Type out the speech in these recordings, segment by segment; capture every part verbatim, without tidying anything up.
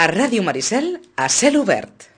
A Ràdio Maricel, a cel obert.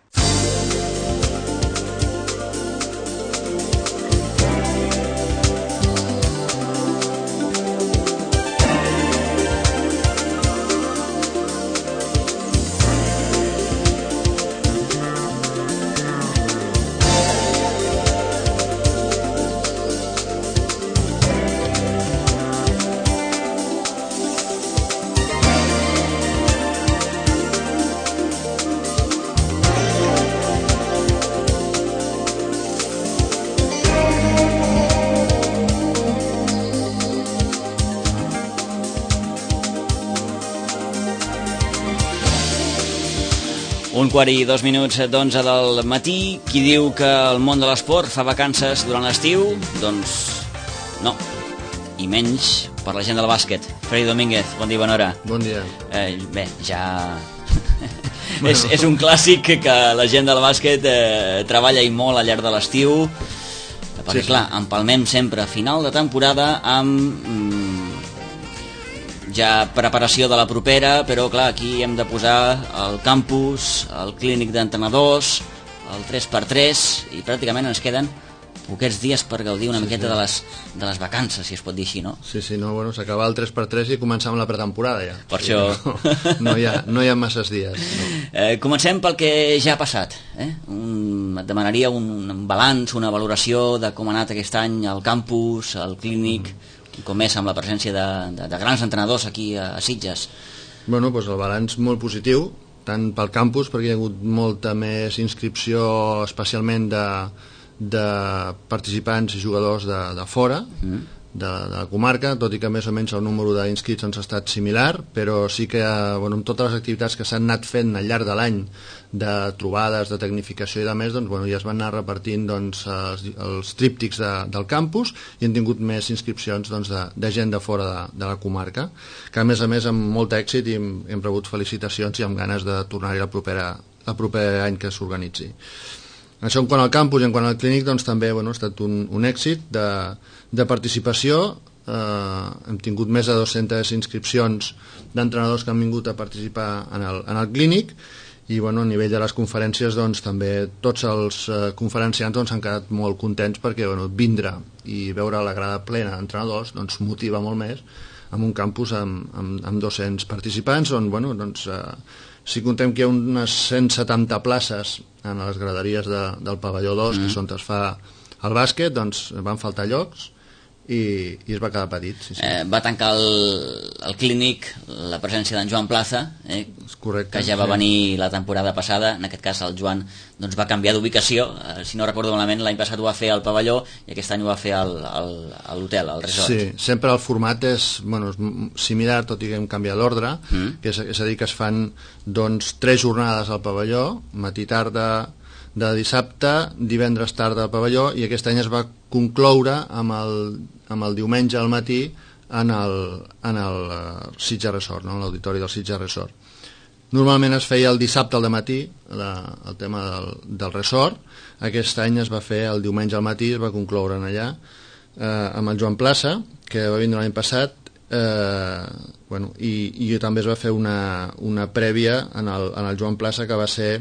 Un quart i dos minuts d'onze del matí. Qui diu que el món de l'esport fa vacances durant l'estiu? Doncs no, i menys per la gent del bàsquet. Freddy Domínguez, bon dia, bona hora. Bon dia. Eh, bé, ja... bueno. és, és un clàssic que la gent del bàsquet eh, treballa i molt al llarg de l'estiu, perquè sí, clar, sí. empalmem sempre a final de temporada amb... Mm, ja preparació de la propera, però clar, aquí hem de posar el campus, el clínic d'entrenadors, el tres per tres, i pràcticament ens queden poquets dies per gaudir una sí, miqueta sí. de les, de les vacances, si es pot dir així, no? Sí, sí, no, bueno, s'acaba el tres per tres i començar amb la pretemporada ja. Per sí, això... No, no, hi ha, no hi ha masses dies. No. Eh, comencem pel que ja ha passat. Eh? Un, et demanaria un, un balanç, una valoració de com ha anat aquest any al campus, al clínic... Mm. com és amb la presència de, de, de grans entrenadors aquí a, a Sitges. Bueno, doncs el balanç molt positiu, tant pel campus, perquè hi ha hagut molta més inscripció, especialment de, de participants i jugadors de, de fora, mm. de, de la comarca, tot i que més o menys el número d'inscrits ens ha estat similar, però sí que bueno, amb totes les activitats que s'han anat fent al llarg de l'any, de trobades, de tecnificació i de més, doncs, bueno, ja es van anar repartint doncs, els, els tríptics de, del campus i han tingut més inscripcions doncs, de, de gent de fora de, de la comarca, que a més a més amb molt èxit i hem, hem rebut felicitacions i amb ganes de tornar-hi el proper any que s'organitzi. Això en quant al campus i en quant al clínic doncs, també bueno, ha estat un, un èxit de, de participació. Eh, hem tingut més de dues-centes inscripcions d'entrenadors que han vingut a participar en el, en el clínic. I bueno, a nivell de les conferències doncs, també tots els eh, conferenciants doncs, han quedat molt contents perquè bueno, vindre i veure la grada plena d'entrenadors doncs, motiva molt més en un campus amb, amb, amb dos-cents participants on bueno, doncs, eh, si contem que hi ha unes cent setanta places en les graderies de, del pavelló dos mm. que és on es fa el bàsquet, doncs van faltar llocs i, i es va quedar petit. Sí, sí. Eh, va tancar el, el clínic la presència d'en Joan Plaza, eh, correcte, que ja va sí. venir la temporada passada. En aquest cas el Joan doncs, va canviar d'ubicació, eh, si no recordo malament l'any passat ho va fer al pavelló i aquest any ho va fer al, al, a l'hotel, al resort. Sí, sempre el format és, bueno, és similar, tot i que hem canviat l'ordre, mm. que és, és a dir que es fan doncs, tres jornades al pavelló, matí tarda de dissabte, divendres tarda al pavelló, i aquest any es va concloure amb el, amb el diumenge al matí en el, en el Sitges Resort, no? L'auditori del Sitges Resort. Normalment es feia el dissabte al matí, la, el tema del, del resort. Aquest any es va fer el diumenge al matí, es va concloure allà, eh, amb el Joan Plaça, que va vindre l'any passat, eh, bueno, i, i també es va fer una, una prèvia en el, en el Joan Plaça, que va ser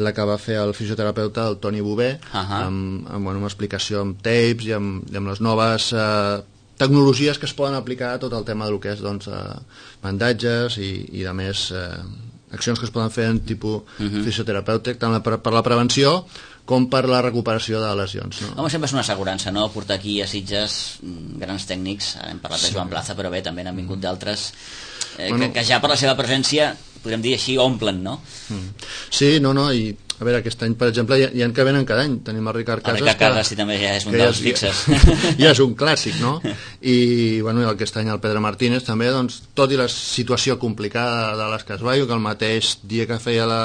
la que va fer el fisioterapeuta, el Toni Bové, uh-huh. amb, amb bueno, una explicació amb tapes i amb, i amb les noves eh, tecnologies que es poden aplicar a tot el tema del que és doncs, eh, bandatges i, i de més eh, accions que es poden fer en tipus uh-huh. fisioterapèutic, tant per, per la prevenció com per la recuperació de lesions. No? Home, sempre és una assegurança, no?, portar aquí a Sitges grans tècnics. Hem parlat sí. de Joan Plaza, però bé, també n'han vingut d'altres eh, bueno, que, que ja per la seva presència, podríem dir així, omplen, no? Sí, no, no, i a veure, aquest any, per exemple, hi ha, hi ha que venen cada any. Tenim el Ricard Casas. El Ricard Casas, sí, també ja és un dels fixes. Ja és un clàssic, no? I, bueno, aquest any el Pedro Martínez també, doncs, tot i la situació complicada de les que es va, que el mateix dia que feia la,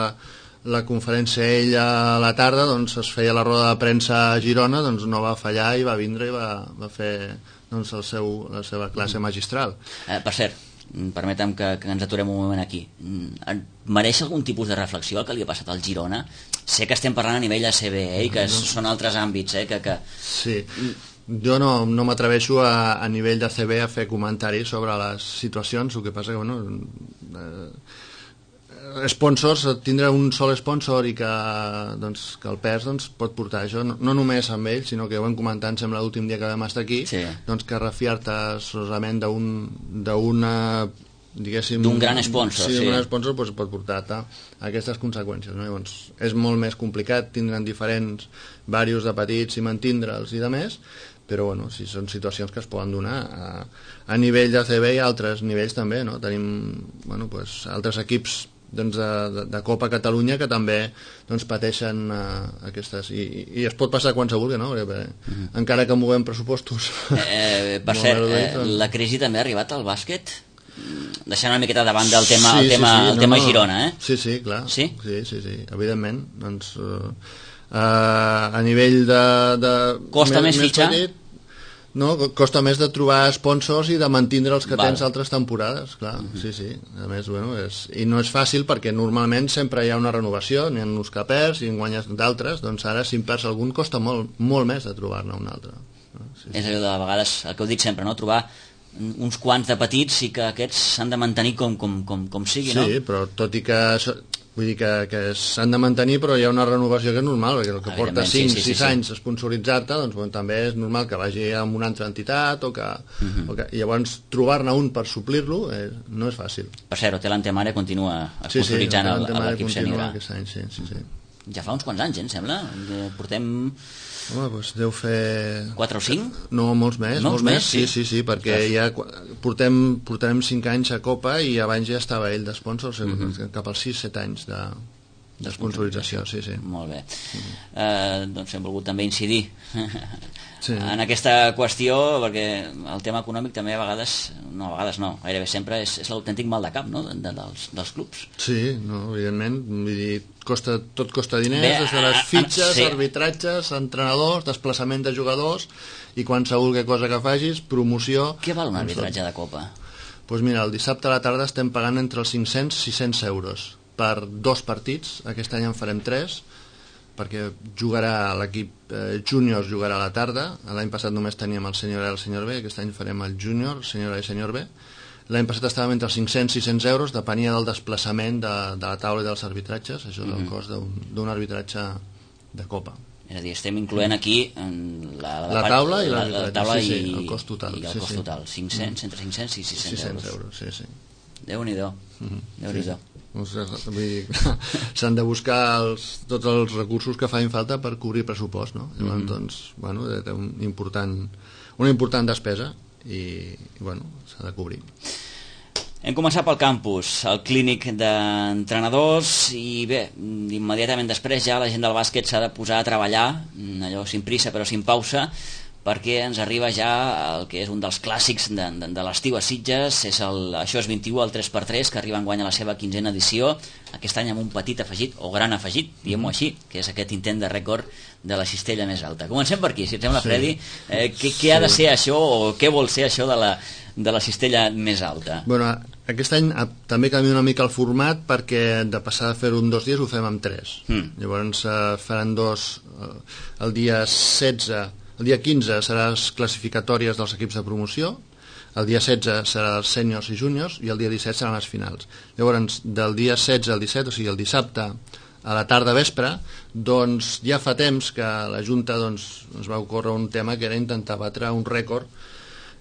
la conferència ell a la tarda, doncs es feia la roda de premsa a Girona, doncs no va fallar i va vindre i va, va fer doncs, el seu, la seva classe magistral. Eh, per cert, permetem que, que ens aturem un moment aquí. Mereix algun tipus de reflexió el que li ha passat al Girona? Sé que estem parlant a nivell A C B, eh, i que no. són altres àmbits, eh, que... que... Sí, jo no, no m'atreveixo a, a nivell de A C B a fer comentaris sobre les situacions, el que passa que, bueno... Eh, sponsors, tindre un sol sponsor i que, doncs, que el pes doncs, pot portar això, no, no només amb ells, sinó que ho vam comentar, em sembla, l'últim dia que vam estar aquí, sí. doncs que refiar-te solament d'una diguéssim... d'un gran sponsor, sí. Sí, d'un gran sponsor doncs, pot portar-te aquestes conseqüències, no? Llavors, és molt més complicat, tindran diferents varios de petits i mantindre'ls i de més, però bueno, sí, són situacions que es poden donar a, a nivell de C B i a altres nivells també, no? Tenim bueno, pues, altres equips doncs, de, de, de Copa Catalunya que també doncs, pateixen uh, aquestes i, i es pot passar quan se vulgui, no? Perquè, mm-hmm. encara que movem pressupostos eh, per cert, reduït, doncs... eh, la crisi també ha arribat al bàsquet? Deixant una miqueta davant del tema, sí, el tema, sí, sí, el no, tema no. Girona, eh? Sí, sí, clar. Sí? Sí, sí, sí, evidentment. Doncs, uh, uh, a nivell de... de costa més, més fitxar? Petit, no, costa més de trobar sponsors i de mantindre els que Val. tens altres temporades, clar, uh-huh. sí, sí. A més, bueno, és, i no és fàcil perquè normalment sempre hi ha una renovació, n'hi ha uns que perds i en guanyes d'altres, doncs ara si en perds algun costa molt, molt més de trobar-ne un altre. No? Sí, és allò de vegades, el que heu dit sempre, no? Trobar uns quants de petits i que aquests s'han de mantenir com, com, com, com sigui, sí, no? Sí, però tot i que... Vull dir que, que s'han de mantenir, però hi ha una renovació que és normal, perquè el que porta cinc sis sí, sí, sí, anys a sponsoritzar-te, doncs bueno, també és normal que vagi a una altra entitat o que, uh-huh. o que i llavors trobar-ne un per suplir-lo eh, no és fàcil. Per cert, Hotel Antemare continua sponsoritzant sí, sí, l'equip sènior. Sí, sí, sí, sí. Ja fa uns quants anys, eh, em sembla. Portem... Home, doncs deu fer... quatre o cinc? No, molts més, no, molts més, sí, sí, sí, perquè ja portem, portarem cinc anys a Copa i abans ja estava ell d'esponsor, uh-huh. cap als sis set anys de, de sponsorització, sí, sí. Molt bé. Uh-huh. Uh, doncs hem volgut també incidir sí. en aquesta qüestió, perquè el tema econòmic també a vegades, no, a vegades no, gairebé sempre és, és l'autèntic mal de cap, no?, de, de, dels, dels clubs. Sí, no, evidentment, vull dir, costa, tot costa diners, bé, des de les fitxes, sí. arbitratges, entrenadors, desplaçament de jugadors i qualsevol cosa que facis, promoció... Què val un arbitratge de Copa? Doncs pues mira, el dissabte a la tarda estem pagant entre els cinc-cents i sis-cents euros per dos partits, aquest any en farem tres, perquè jugarà l'equip eh, júnior jugarà a la tarda, l'any passat només teníem el senyor A i el senyor B, aquest any farem el júnior, el senyor A i el senyor B. L'any passat estàvem entre els cinc-cents i sis-cents euros, depenia del desplaçament de, de la taula i dels arbitratges, això és el mm-hmm. cost d'un arbitratge de Copa. És a dir, estem incloent aquí en la, la, la part, taula i la, l'arbitratge, la taula sí, sí, i, el cost total. I el sí, cost sí. total, cinc-cents, entre cinc-cents i sis-cents, sis-cents euros. Sí, sí. Déu-n'hi-do, mm-hmm. Déu-n'hi-do. Sí. S'han de buscar els, tots els recursos que fan falta per cobrir pressupost, no? Llavors, mm-hmm. doncs, bueno, té un important, una important despesa i, i bueno, s'ha de cobrir. Hem començat pel campus, el clínic d'entrenadors i bé, immediatament després ja la gent del bàsquet s'ha de posar a treballar, allò sin prisa però sin pausa, perquè ens arriba ja el que és un dels clàssics de, de, de l'estiu a Sitges, és el, això és vint-i-u, el tres per tres, que arriba enguany a la seva quinzena edició, aquest any amb un petit afegit, o gran afegit, diguem-ho així, que és aquest intent de rècord de la cistella més alta. Comencem per aquí, si et sembla, sí. Freddy, eh, què, què ha de ser això, o què vol ser això de la, de la cistella més alta? Bueno, aquest any també canvia una mica el format perquè de passar a fer-ho en dos dies ho fem en tres. Mm. Llavors eh, faran dos eh, el dia setze, el dia quinze serà les classificatòries dels equips de promoció, el dia setze serà els sèniors i júniors i el dia disset seran les finals. Llavors, del dia setze al disset, o sigui el dissabte a la tarda vespre, doncs ja fa temps que la Junta doncs, ens va ocórrer un tema que era intentar batre un rècord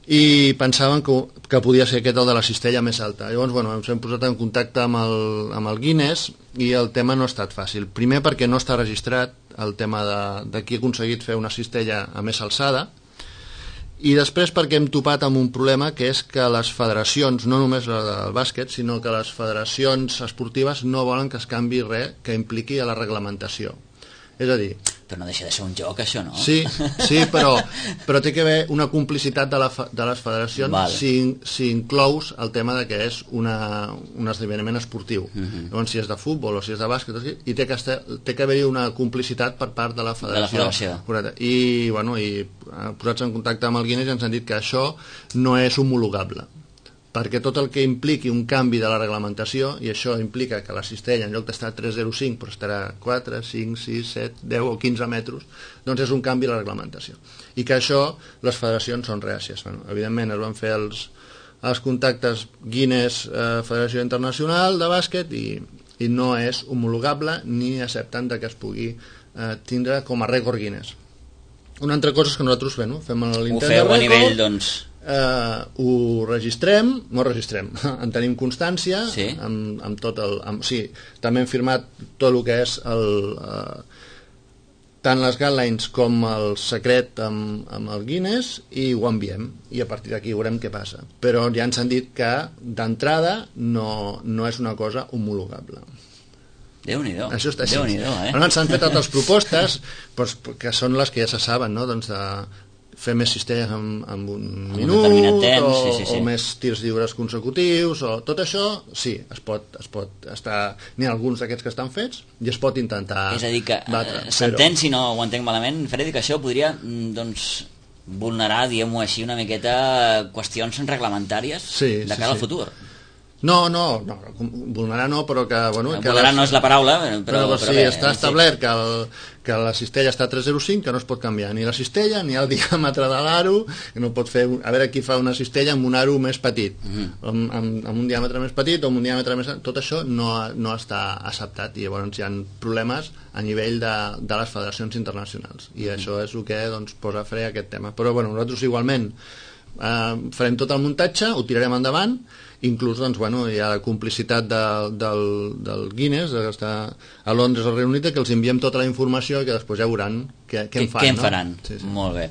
i pensaven que, que podia ser aquest el de la cistella més alta. Llavors, bueno, ens hem posat en contacte amb el, amb el Guinness i el tema no ha estat fàcil. Primer perquè no està registrat el tema de, de qui ha aconseguit fer una cistella a més alçada, i després perquè hem topat amb un problema que és que les federacions, no només la del bàsquet, sinó que les federacions esportives no volen que es canvi res que impliqui a la reglamentació. És a dir... Però no deixa de ser un joc, això, no? Sí, sí, però, però té que haver una complicitat de, la, de les federacions vale. si, si inclous el tema de que és una, un esdeveniment esportiu. Uh-huh. Llavors, si és de futbol o si és de bàsquet, i té que, estar, té que haver-hi una complicitat per part de la federació. De la federació. Correcte. I, bueno, i posats en contacte amb el Guinness ens han dit que això no és homologable, perquè tot el que impliqui un canvi de la reglamentació, i això implica que la cistella en lloc d'estar tres coma zero cinc però estarà quatre, cinc, sis, set, deu o quinze metres, doncs és un canvi de la reglamentació. I que això les federacions són reàcies. Bueno, evidentment es van fer els, els contactes Guinness, eh, Federació Internacional de Bàsquet, i i no és homologable ni accepten que es pugui eh, tindre com a rècord Guinness. Una altra cosa és que nosaltres bueno, fem l'intent de rècord, a nivell, doncs... eh, ho registrem, no registrem, en tenim constància, sí. amb, amb tot el... Amb, sí, també hem firmat tot el que és el... Eh, tant les guidelines com el secret amb, amb el Guinness i ho enviem i a partir d'aquí veurem què passa, però ja ens han dit que d'entrada no, no és una cosa homologable. Déu-n'hi-do. Això està així. Déu-n'hi-do, eh? Però ens han fet altres propostes doncs, que són les que ja se saben, no? Doncs de fer més cistelles en, en un en minut un temps, o, sí, sí, sí. o més tirs lliures consecutius o tot això, sí, es pot, es pot estar, n'hi ha alguns d'aquests que estan fets i es pot intentar és a dir que batre, eh, s'entén, però... si no ho entenc malament, Freddy, que això podria doncs vulnerar, diguem-ho així, una miqueta qüestions reglamentàries sí, de sí, cara sí. al futur. No, no, no, vulnerar no, però que... Bueno, que vulnerar les... no és la paraula, però... però, però sí, bé, està establert que, el, que la cistella està a tres coma zero cinc, que no es pot canviar ni la cistella ni el diàmetre de l'aro, que no pot fer... A veure qui fa una cistella amb un aro més petit, mm-hmm. amb, amb, amb un diàmetre més petit o amb un diàmetre més... Tot això no, no està acceptat i llavors hi ha problemes a nivell de, de les federacions internacionals i mm-hmm. això és el que doncs, posa fre a aquest tema. Però bueno, nosaltres igualment eh, farem tot el muntatge, ho tirarem endavant, inclús doncs, bueno, hi ha la complicitat de, del, del Guinness que està a Londres, al Regne Unit, que els enviem tota la informació i que després ja veuran què, què en fan. Què en no? faran, sí, sí. Molt bé.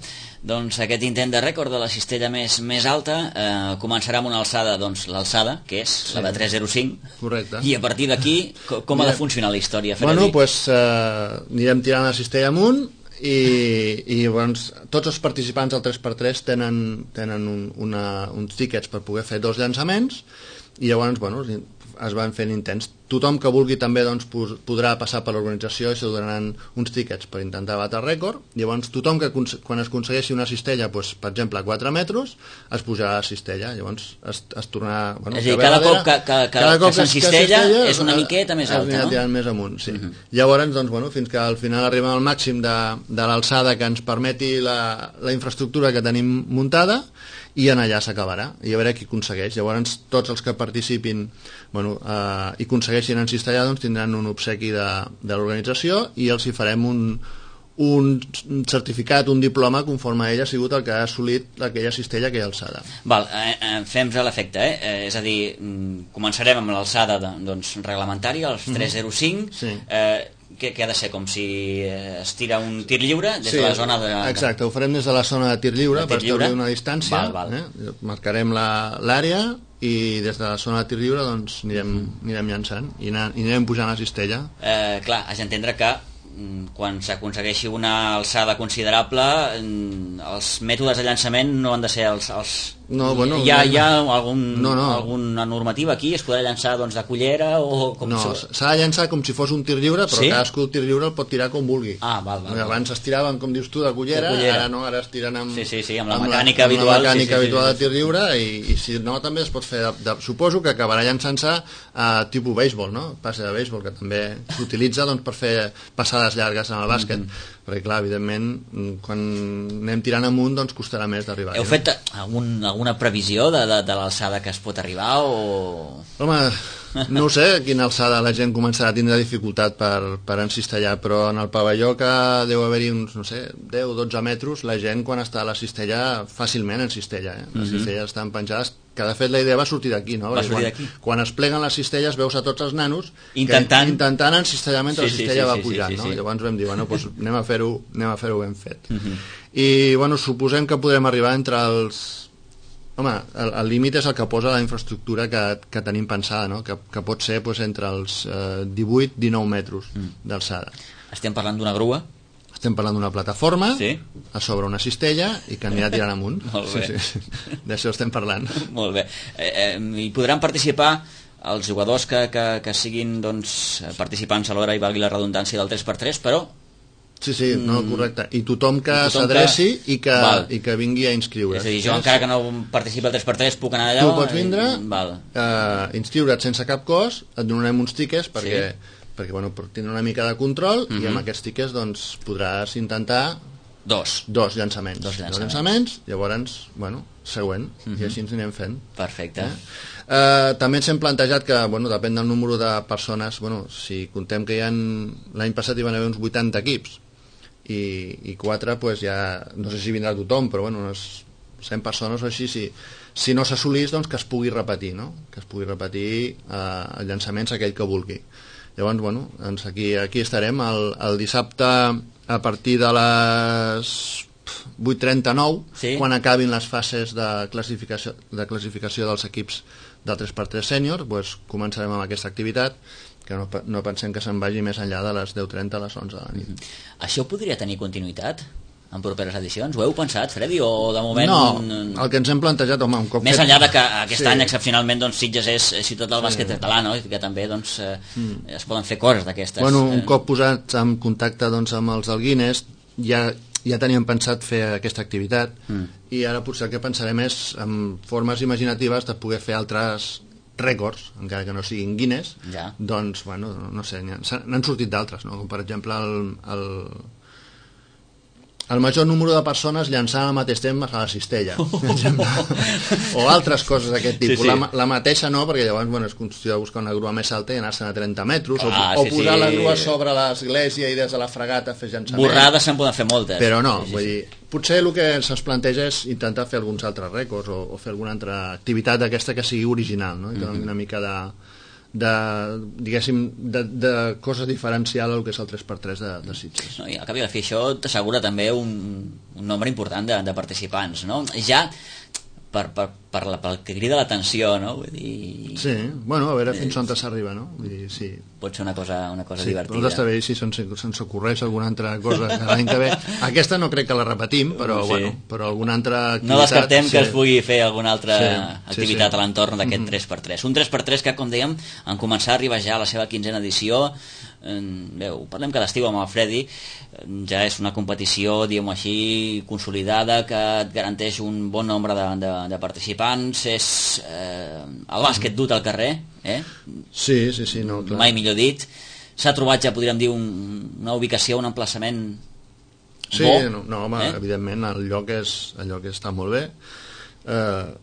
Doncs aquest intent de rècord de la cistella més, més alta eh, començarà amb una alçada, doncs l'alçada, que és sí. la de tres coma zero cinc. Correcte. I a partir d'aquí, com, com ha de funcionar la història, Freddy? Bueno, doncs pues, eh, anirem tirant la cistella amunt i, i doncs, tots els participants del tres per tres tenen, tenen un, una, uns tíquets per poder fer dos llançaments i llavors bueno, es van fent intents. Tothom que vulgui també doncs, podrà passar per l'organització i se donaran uns tíquets per intentar batre el rècord. Llavors tothom que quan es aconsegueixi una cistella doncs, per exemple a quatre metres es pujarà a la cistella, llavors es, es tornarà bueno, és a dir, cada cop que, que, que, cada cop que s'encistella és una miqueta més alta, no? Tirant més amunt, sí. Uh-huh. Llavors doncs, bueno, fins que al final arribem al màxim de, de l'alçada que ens permeti la, la infraestructura que tenim muntada i en allà s'acabarà i a veure qui aconsegueix. Llavors tots els que participin bueno, eh, i aconsegueixin encistellar doncs, tindran un obsequi de, de l'organització i els hi farem un, un certificat, un diploma conforme ell ha sigut el que ha assolit aquella cistella, aquella alçada. Val, eh, eh, fem-nos a l'efecte, eh? eh? És a dir, començarem amb l'alçada de, doncs, reglamentària, els tres coma zero cinc, sí. eh, que, que ha de ser com si es tira un tir lliure des sí, de la zona de... Exacte, ho farem des de la zona de tir lliure, de tir per establir lliure. una distància, val, val. Eh? Marcarem l'àrea i des de la zona de tir lliure doncs, anirem, mm. anirem llançant i, anar, i anirem pujant la cistella. Eh, clar, has d'entendre que quan s'aconsegueixi una alçada considerable els mètodes de llançament no han de ser els... els... No, bueno, hi ha, hi ha algun, no, no. alguna normativa aquí? Es podrà llançar doncs, de cullera o com no, s'ha de llançar com si fos un tir lliure, però sí? Cadascú el tir lliure el pot tirar com vulgui. Ah, val, val, abans es tiraven, com dius tu, de cullera, de cullera. Ara no, ara es tiren amb, sí, sí, sí, amb la amb mecànica la, habitual, amb la mecànica sí, sí, habitual sí, sí, de tir lliure i, i si no també es pot fer de, de, suposo que acabarà llançant-se a tipus béisbol, no? Passe de béisbol, que també s'utilitza doncs, per fer passades llargues en el bàsquet. Mm-hmm. Perquè clar, evidentment quan anem tirant amunt doncs costarà més d'arribar. Heu fet algun, alguna previsió de, de, de l'alçada que es pot arribar o... Home, no ho sé a quina alçada la gent començarà a tindre dificultat per, per encistellar, però en el pavelló que deu haver-hi uns, no sé, deu o dotze metres, la gent quan està a la cistella fàcilment encistella, eh? Les mm-hmm. cistelles estan penjades, que de fet la idea va sortir d'aquí, no? Va sortir d'aquí. Quan, quan es pleguen les cistelles veus a tots els nanos intentant, que, intentant encistellar mentre sí, la cistella sí, sí, va sí, pujant, sí, sí, no? sí. Llavors vam dir, bueno, doncs anem a fer-ho anem a fer-ho ben fet. Mm-hmm. I, bueno, suposem que podrem arribar entre els... Home, el, el límit és el que posa la infraestructura que, que tenim pensada, no? que, que pot ser pues, entre els eh, divuit dinou metres mm. d'alçada. Estem parlant d'una grua? Estem parlant d'una plataforma sí? a sobre una cistella i que anirà tirant amunt. Molt bé. Sí, sí, sí. D'això estem parlant. Molt bé. Eh, eh, hi podran participar els jugadors que, que, que siguin doncs, participants a l'hora, i valgui la redundància, del tres per tres, però... Sí, sí, no, correcte. I tothom que s'adreci i, que, i que vingui a inscriure's. És a dir, jo encara que no participi al tres per tres puc anar allà... Tu pots vindre, i... val. eh, inscriure't sense cap cost, et donarem uns tiquets perquè, sí. perquè bueno, per tindre una mica de control mm-hmm. i amb aquests tiquets doncs, podràs intentar Dos. Dos llançaments. Dos llançaments. Dos llançaments, llavors, bueno, següent, uh-huh. i així ens anem fent. Perfecte. Eh? Uh, també ens hem plantejat que, bueno, depèn del número de persones, bueno, si contem que hi ha... L'any passat hi van haver uns vuitanta equips, i, i quatre, pues ja, no sé si vindrà tothom, però bueno, unes cent persones o així, si, si no s'assolís, doncs que es pugui repetir, no? Que es pugui repetir uh, el llançaments aquell que vulgui. Llavors, bueno, doncs aquí, aquí estarem el, el dissabte a partir de les vuit trenta-nou, sí. Quan acabin les fases de classificació, de classificació dels equips del tres per tres sènior, doncs començarem amb aquesta activitat, que no, no pensem que se'n vagi més enllà de les deu trenta a les onze de la nit. Mm-hmm. Això podria tenir continuïtat en properes edicions? Ho heu pensat, Freddy, o de moment... No, el que ens hem plantejat, home, un cop... Més fet... enllà de que aquest sí. any, excepcionalment, doncs, Sitges és ciutat del sí. bàsquet català, no? I que també doncs, eh, mm. es poden fer coses d'aquestes. Bueno, un cop posats en contacte doncs, amb els del Guinness, ja, ja teníem pensat fer aquesta activitat, mm. i ara potser el que pensarem és en formes imaginatives de poder fer altres rècords, encara que no siguin Guinness, ja. Doncs, bueno, no sé, n'han sortit d'altres, no? Com per exemple el... el el major número de persones llançant al mateix temps a la cistella, per exemple. O altres coses d'aquest tipus. Sí, sí. La, la mateixa no, perquè llavors bueno, és qüestió de buscar una grua més alta i anar-se'n a trenta metres, ah, o, sí, o posar sí. la grua sobre l'església i des de la fregata fer llançaments. Borrades se'n poden fer moltes. Però no, sí, sí, vull sí. dir, potser el que se'ns planteja és intentar fer alguns altres rècords o, o fer alguna altra activitat d'aquesta que sigui original, no? I que doni una mica de... de, diguéssim, de, de cosa diferencial al que és el tres per tres de, de Sitges. No, i al cap i a la fi això t'assegura també un, un nombre important de, de participants, no? Ja per, per, per la, pel que crida l'atenció, no? Vull dir... Sí, bueno, a veure fins on s'arriba, no? Vull dir, sí. Pot ser una cosa, una cosa sí, divertida. Sí, està bé si se'ns se ocorreix alguna altra cosa l'any que ve. Aquesta no crec que la repetim, però, sí. bueno, però alguna altra activitat... No descartem sí. que es pugui fer alguna altra sí, activitat sí, sí. a l'entorn d'aquest mm-hmm. tres per tres. Un tres per tres que, com dèiem, en començar a arribar ja a la seva quinzena edició, bé, ho parlem cada estiu amb el Freddy, ja és una competició, diguem-ho així, consolidada, que et garanteix un bon nombre de, de, de participants, és eh, el bàsquet dut al carrer, eh? Sí, sí, sí, no, clar. Mai millor dit. S'ha trobat, ja podríem dir, un, una ubicació, un emplaçament sí, bo. Sí, no, no, home, eh? evidentment el lloc, és, el lloc està molt bé. Eh,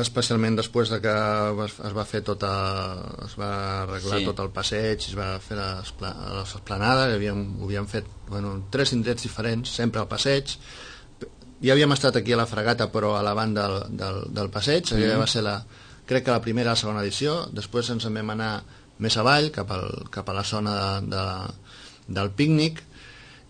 especialment després de que es va fer tota, es va arreglar sí. tot el passeig, es va fer l'esplanada, havíem, ho havíem fet bueno, tres indrets diferents, sempre al passeig. Ja havíem estat aquí a la Fregata, però a la banda del, del, del passeig, mm-hmm. va ser la, crec que la primera o la segona edició, després ens en vam anar més avall, cap, al, cap a la zona de, de, del pícnic,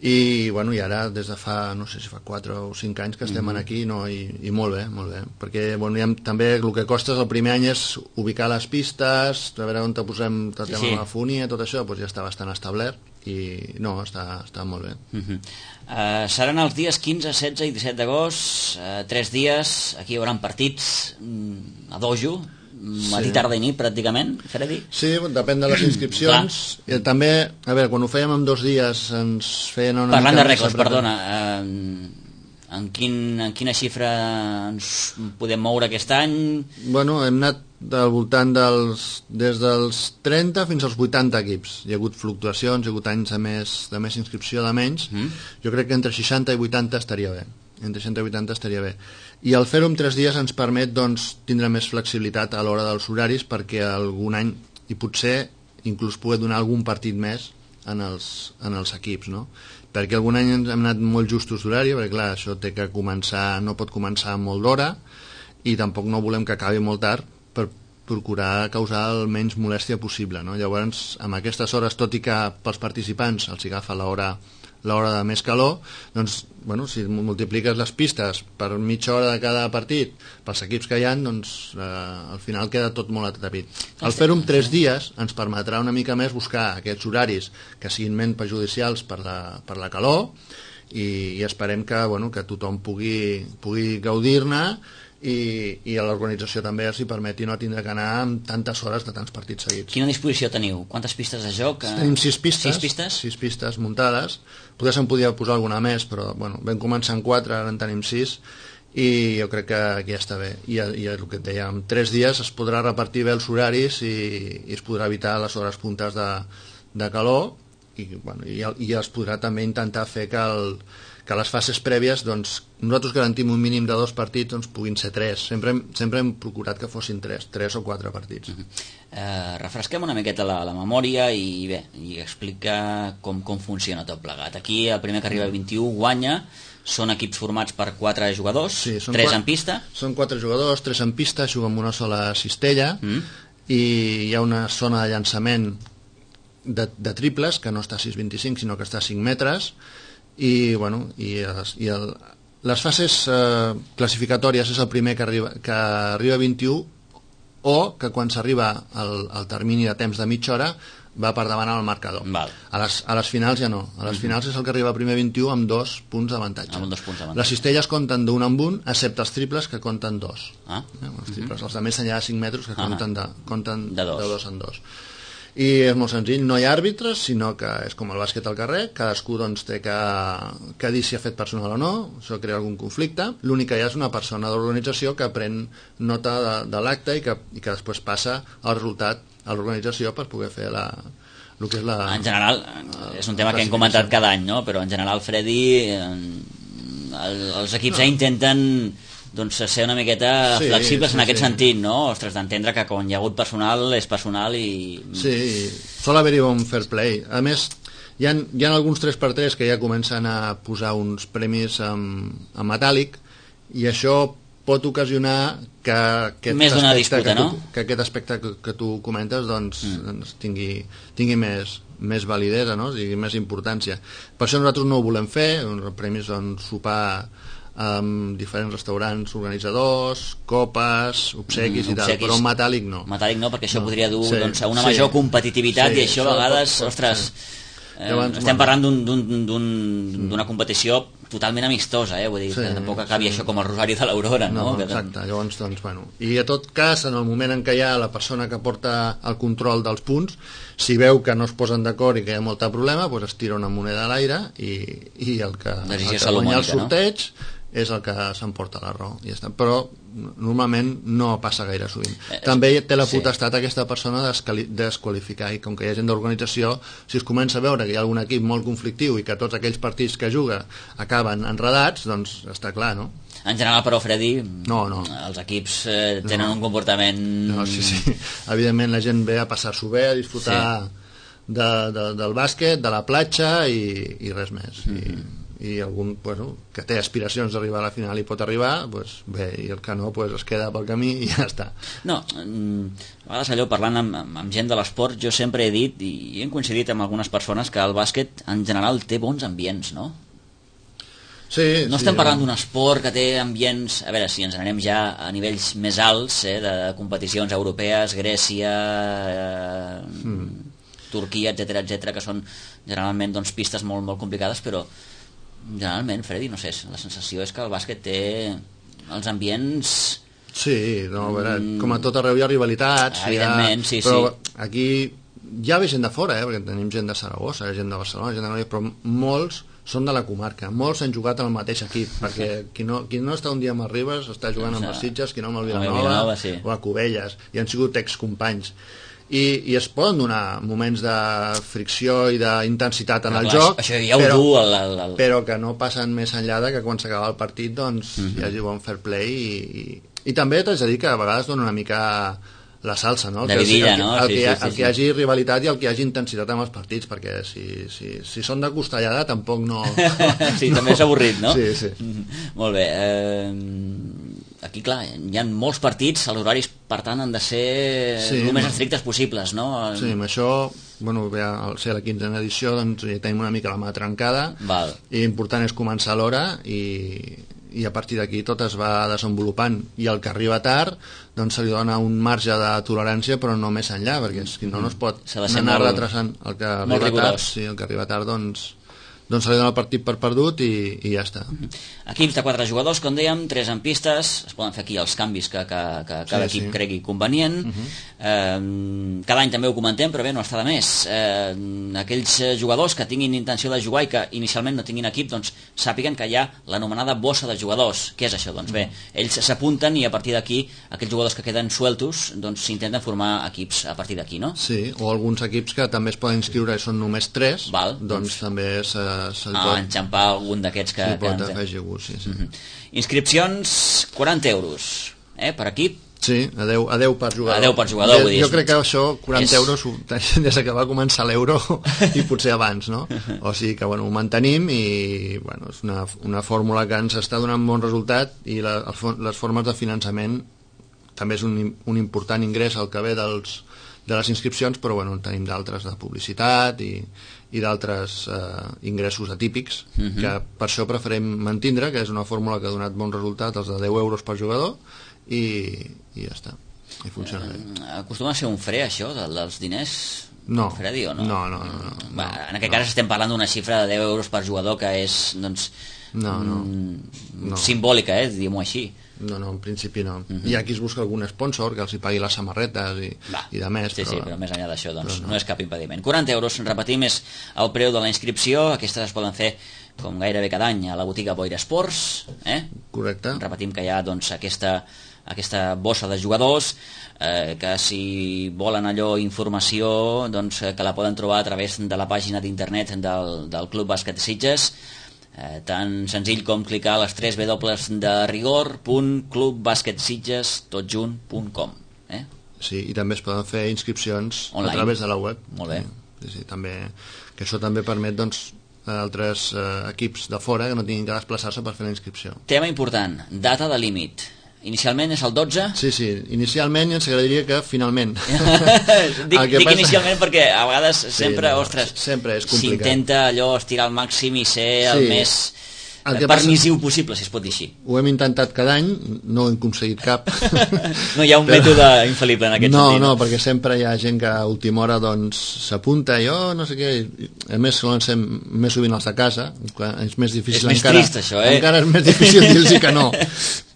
i, bueno, i ara des de fa, no sé si fa quatre o cinc anys que estem mm-hmm. aquí, no, i, i molt bé, molt bé, perquè bueno, ha, també el que costa el primer any és ubicar les pistes, a veure on te posem tot el tema sí, sí. de la fonia, tot això, doncs ja està bastant establert i no, està, està molt bé. Mm-hmm. uh, seran els dies quinze, setze i disset d'agost, uh, tres dies, aquí hi haurà partits mm, a dojo, matí, sí. tarda i nit, pràcticament, Freddy? Sí, depèn de les inscripcions. I també, a veure, quan ho fèiem en dos dies ens feien una Parlant mica... de rècords, perdona, eh, en, quin, en quina xifra ens podem moure aquest any? Bueno, hem anat del voltant dels... des dels trenta fins als vuitanta equips. Hi ha hagut fluctuacions, hi ha hagut anys de més, de més inscripció, de menys. Mm. Jo crec que entre seixanta i vuitanta estaria bé. Entre seixanta i vuitanta estaria bé. I el fer-ho en tres dies ens permet doncs, tindre més flexibilitat a l'hora dels horaris perquè algun any, i potser inclús poder donar algun partit més en els, en els equips, no? Perquè algun any hem anat molt justos d'horari, perquè clar, això té que començar, no pot començar molt d'hora i tampoc no volem que acabi molt tard per procurar causar el menys molèstia possible, no? Llavors, amb aquestes hores, tot i que pels participants els agafa l'hora l'hora de més calor, doncs, bueno, si multipliques les pistes per mitja hora de cada partit pels equips que hi ha, doncs eh, al final queda tot molt atrapit. El fer-ho en tres dies ens permetrà una mica més buscar aquests horaris que siguin menys perjudicials per la, per la calor i, i esperem que, bueno, que tothom pugui, pugui gaudir-ne i, i a l'organització també els hi permeti no tindre que anar amb tantes hores de tants partits seguits. Quina disposició teniu? Quantes pistes de joc? Tenim sis pistes, sis pistes? sis pistes muntades. Potser se'n podia posar alguna més, però bueno, vam començar amb quatre, ara en tenim sis i jo crec que aquí ja està bé. I, i el que et deia, en tres dies es podrà repartir bé els horaris i, i es podrà evitar les hores puntes de, de calor i, bueno, i, i es podrà també intentar fer que, el, que les fases prèvies, doncs, nosaltres garantim un mínim de dos partits, doncs puguin ser tres. Sempre hem, sempre hem procurat que fossin tres, tres o quatre partits. Uh-huh. eh, refresquem una miqueta la, la memòria i bé, i explica com, com funciona tot plegat. Aquí el primer que arriba a vint-i-u guanya. Són equips formats per quatre jugadors, sí, tres quatre, en pista. Són quatre jugadors, tres en pista, juguen amb una sola cistella, mm. i hi ha una zona de llançament de, de triples, que no està a sis coma vint-i-cinc, sinó que està a cinc metres, i, bueno, i, i el, les fases eh, classificatòries és el primer que arriba, que arriba a vint-i-u, o que quan s'arriba al, al termini de temps de mitja hora va per davant al marcador. Val. A les, a les finals ja no. A les uh-huh. finals és el que arriba primer vint-i-u amb dos punts d'avantatge. Amb dos punts d'avantatge. Les cistelles compten d'un en un, excepte els triples, que compten dos. Ah. Eh, els triples, uh-huh. els de més enllà de cinc metres, que uh-huh. compten, de, compten de, dos. de dos en dos. I és molt senzill, no hi ha àrbitres, sinó que és com el bàsquet al carrer, cadascú doncs, té que, que dir si ha fet personal o no, això crea algun conflicte. L'únic que hi ha és una persona d'organització que pren nota de, de l'acte i, que, i que després passa el resultat a l'organització per poder fer la, el que és la... En general, és un tema que hem comentat cada any, no? Però en general, Freddy, el, els equips no. intenten doncs, ser una miqueta sí, flexibles sí, en aquest sí. sentit, no? Ostres, d'entendre que quan hi ha hagut personal és personal i... Sí, sol haver-hi un fair play. A més, hi ha, hi ha alguns tres per tres que ja comencen a posar uns premis en, en metàl·lic, i això pot ocasionar que aquest més d'una aspecte, disputa, que tu, no? que aquest aspecte que, que tu comentes doncs, mm. doncs tingui, tingui més, més validesa, no? Tingui més importància. Per això nosaltres no ho volem fer, els premis són sopar amb diferents restaurants organitzadors, copes, obsequis mm, i tal, però metàl·lic no. Metàl·lic no, perquè això no. podria dur sí, doncs, a una sí, major competitivitat sí, i això a vegades, pot, pot, ostres, sí. eh, Llavors, estem bueno. parlant d'una un, un, competició totalment amistosa, eh? Vull dir, sí, que tampoc acabi sí. això com el Rosari de l'Aurora, no? No, exacte, llavors, doncs, bueno. I a tot cas, en el moment en què hi ha la persona que porta el control dels punts, si veu que no es posen d'acord i que hi ha molt problema, doncs es tira una moneda a l'aire i, i el que, el que guanya el sorteig no? és el que s'emporta la raó. I ja està. Però normalment no passa gaire sovint. Eh, També té la potestat sí. aquesta persona de desqualificar, i com que hi ha gent d'organització, si es comença a veure que hi ha algun equip molt conflictiu i que tots aquells partits que juga acaben enredats, doncs està clar, no? En general, però, Freddy, no, no. els equips eh, tenen no. un comportament... No, sí, sí. Evidentment la gent ve a passar-s'ho bé, a disfrutar sí. de, de, del bàsquet, de la platja i, i res més. Mm-hmm. I, i algun bueno, que té aspiracions d'arribar a la final i pot arribar, doncs bé, i el que no doncs es queda pel camí i ja està. No, a vegades allò parlant amb, amb gent de l'esport, jo sempre he dit i hem coincidit amb algunes persones que el bàsquet en general té bons ambients, no? Sí, no sí, estem parlant ja. d'un esport que té ambients, a veure, si ens anem ja a nivells més alts, eh, de competicions europees, Grècia, eh, mm. Turquia, etcètera, etcètera, que són generalment doncs, pistes molt, molt complicades, però generalment, Freddy, no sé, la sensació és que el bàsquet té els ambients... Sí, no, a veure, mm. com a tot arreu hi ha rivalitats, evidentment, ha... sí, però sí. aquí ja ve gent de fora, eh, perquè tenim gent de Saragossa, gent de Barcelona, gent de Noia, però molts són de la comarca, molts han jugat en el mateix equip, perquè qui no, qui no està un dia amb el Ribes està jugant amb els Sitges, qui no amb el Vilanova, sí. o a Cubelles, i han sigut excompanys. I, i es poden donar moments de fricció i d'intensitat en però, el clar, joc, això ja ho però, du el, el, el... però que no passen més enllà de que quan s'acaba el partit doncs mm-hmm. hi hagi bon fair play i, i, i també t'haig de dir que a vegades dona una mica la salsa, no? El de que, vidilla, el, no? El, el, sí, que, sí, sí, el que hi hagi rivalitat i el que hi hagi intensitat en els partits, perquè si, si, si són de costellada tampoc no... sí, no. també és avorrit, no? Sí, sí. Mm-hmm. Molt bé, eh... aquí, clar, hi ha molts partits, els horaris, per tant, han de ser sí, el més estrictes possibles, no? Sí, amb això, bueno, ve a ser la quinzena edició, doncs ja tenim una mica la mà trencada, Val. i l'important és començar a l'hora, i, i a partir d'aquí tot es va desenvolupant, i el que arriba tard, doncs se li dona un marge de tolerància, però no més enllà, perquè si no, no es pot anar molt, retrasant. El que arriba tard, sí, el que arriba tard, doncs, doncs se li dona el partit per perdut i, i ja està. Equips de quatre jugadors, com dèiem, tres en pistes, es poden fer aquí els canvis que, que, que cada sí, equip sí. cregui convenient. Uh-huh. eh, cada any també ho comentem, però bé, no està de més. Eh, aquells jugadors que tinguin intenció de jugar i que inicialment no tinguin equip, doncs sàpiguen que hi ha l'anomenada bossa de jugadors. Què és això? Doncs bé, ells s'apunten i a partir d'aquí, aquells jugadors que queden sueltos, doncs s'intenten formar equips a partir d'aquí, no? Sí, o alguns equips que també es poden inscriure i són només tres, Val, doncs, doncs també se, se ah, pot... enxampar algun d'aquests que... Sí, pot que afegir algú, sí, sí. Uh-huh. Inscripcions, quaranta euros, eh, per equip. Sí, a deu, a deu per jugador. A deu per jugador, vull dir. Jo crec que això, quaranta és... euros, des que va començar l'euro i potser abans, no? O sigui que, bueno, ho mantenim i, bueno, és una, una fórmula que ens està donant bon resultat i la, les formes de finançament també és un, un important ingrés al que ve dels, de les inscripcions, però, bueno, en tenim d'altres de publicitat i, i d'altres eh, ingressos atípics, uh-huh. que per això preferim mantindre, que és una fórmula que ha donat bon resultat, els de deu euros per jugador, i, i ja està, i funciona bé. Eh, acostuma a ser un fre, això, del, dels diners? No. Fredi, o no? No, no, no, no, Va, no, en aquest no. cas estem parlant d'una xifra de deu euros per jugador que és, doncs, no, no, mm, no. simbòlica, eh, diguem-ho així. No, no, en principi no. Uh-huh. Hi ha qui es busca algun sponsor que els hi pagui les samarretes i, Va, i de més. sí, però... sí, però més enllà d'això doncs, no. no és cap impediment. quaranta euros, repetim, és el preu de la inscripció. Aquestes es poden fer com gairebé cada any a la botiga Boira Esports. Eh? Correcte. Repetim que hi ha doncs, aquesta, aquesta bossa de jugadors, eh, que si volen allò informació, doncs, que la poden trobar a través de la pàgina d'internet del, del Club Bàsquet Sitges. Eh, tan senzill com clicar a les tres dobles de rigor punt club bàsquet sitges tot junt punt com, eh? Sí, i també es poden fer inscripcions online, a través de la web. Molt bé. Sí, sí, també, que això també permet, doncs, a altres eh, equips de fora que no tinguin que desplaçar-se per fer la inscripció. Tema important, data de límit. Inicialment és el dotze? Sí, sí, inicialment i ens agradaria que finalment. dic dic passa... inicialment perquè a vegades sempre, sí, no, ostres, sempre és complicat. S'intenta allò estirar al màxim i ser sí. el més el permissiu passa... possible, si es pot dir així. Ho hem intentat cada any, no hem aconseguit cap. No hi ha un Però... mètode infal·lible en aquest no, sentit. No, no, perquè sempre hi ha gent que a última hora doncs s'apunta i oh, no sé què, a més solen ser més sovint els de casa, és més difícil és més encara, trist això, eh? encara és més difícil dir-los que no,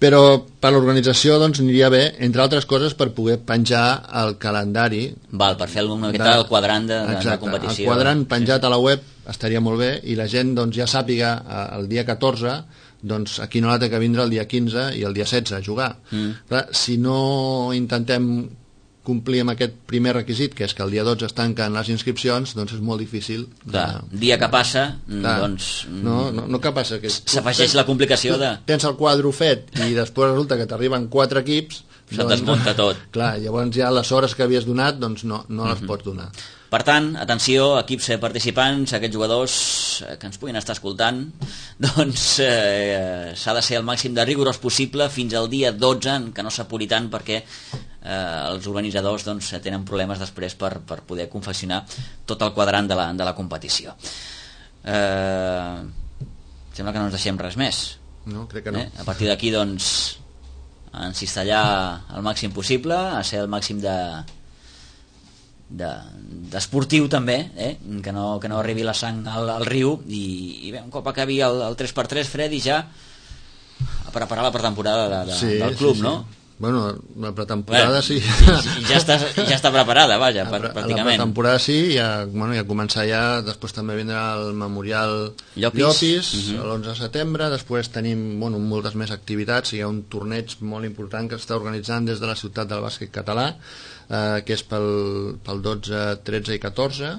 però per l'organització doncs aniria bé, entre altres coses, per poder penjar el calendari. Val, per fer una miqueta el quadrant de, de, de competició. El quadrant penjat sí. a la web estaria molt bé i la gent doncs, ja sàpiga el dia catorze doncs aquí no la té que vindre el dia quinze i el dia setze a jugar. Mm. Clar, si no intentem complir amb aquest primer requisit, que és que el dia dotze es tanquen les inscripcions, doncs és molt difícil. Clar, de... dia que passa, clar, doncs... No, no, no que passa. Que s'afegeix la complicació de... Tens el quadre fet i després resulta que t'arriben quatre equips... Se't doncs, desmunta tot. Clar, llavors ja les hores que havies donat doncs no, no les mm-hmm. pots donar. Per tant, atenció, equips participants, aquests jugadors que ens puguin estar escoltant, doncs eh, s'ha de ser el màxim de rigorós possible fins al dia dotze, en què no s'apuri tant perquè eh, els organitzadors doncs, tenen problemes després per, per poder confeccionar tot el quadrant de la, de la competició. Eh, sembla que no ens deixem res més. No, crec que no. Eh? A partir d'aquí, doncs, a encistellar al màxim possible, a ser el màxim de... d'esportiu de, també, eh? que, no, que no arribi la sang al, al riu i, i bé, un cop acabi el, el tres per tres, Freddy, ja a preparar la pretemporada de, de, sí, del club, sí, sí. No? Bueno, la pretemporada bueno, sí. I, ja, està, ja està preparada, vaja, la, pràcticament. La pretemporada sí, ja, bueno, ja començar ja, després també vindrà el Memorial Llopis, Llopis uh-huh. l'onze de setembre, després tenim bueno, moltes més activitats, hi ha un torneig molt important que s'està organitzant des de la ciutat del bàsquet català, eh, que és pel, pel dotze, tretze i catorze,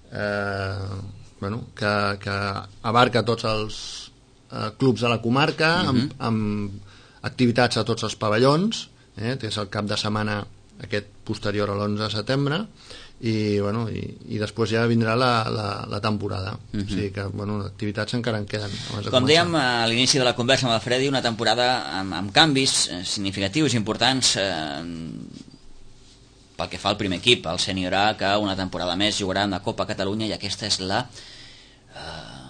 eh, bueno, que, que abarca tots els eh, clubs de la comarca, uh-huh. amb, amb activitats a tots els pavellons, eh, que és el cap de setmana aquest posterior a l'onze de setembre, i, bueno, i, i després ja vindrà la, la, la temporada. Uh-huh. O sigui que, bueno, activitats encara en queden. Com dèiem a l'inici de la conversa amb el Freddy, una temporada amb, amb canvis significatius, importants, eh, pel que fa al primer equip, el Sènior A, que una temporada més jugarà en la Copa Catalunya, i aquesta és la eh,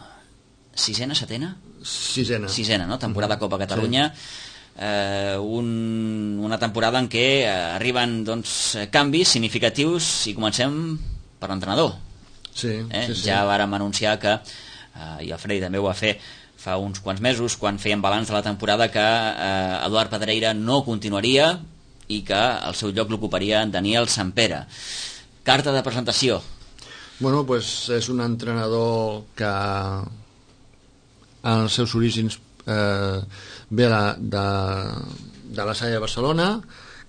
sisena, setena? Sisena. Sisena, no? Temporada uh-huh. Copa Catalunya. Sí. Eh, un, una temporada en què eh, arriben doncs, canvis significatius i comencem per l'entrenador. Sí, eh? sí, sí. Ja vàrem anunciar que eh, i el Freddy també ho va fer fa uns quants mesos, quan feien balanç de la temporada, que eh, Eduard Pedreira no continuaria i que el seu lloc l'ocuparia Daniel Sampere. Carta de presentació. Bueno, pues és un entrenador que en els seus orígens eh, ve de, de, de la Salle de Barcelona,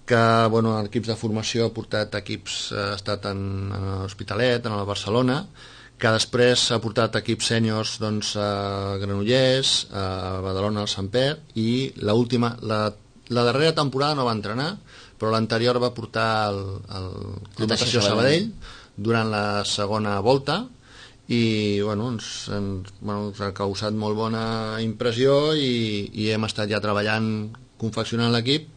que bueno, en equips de formació ha portat equips, ha estat en, en l'Hospitalet, en el Barcelona, que després ha portat equips sèniors doncs, a Granollers, a Badalona, al Samper, i l'última, la, la darrera temporada no va entrenar, però l'anterior va portar el, el Club Natació Sabadell durant la segona volta, i bueno, ens, ens, bueno, ens ha causat molt bona impressió i, i hem estat ja treballant, confeccionant l'equip,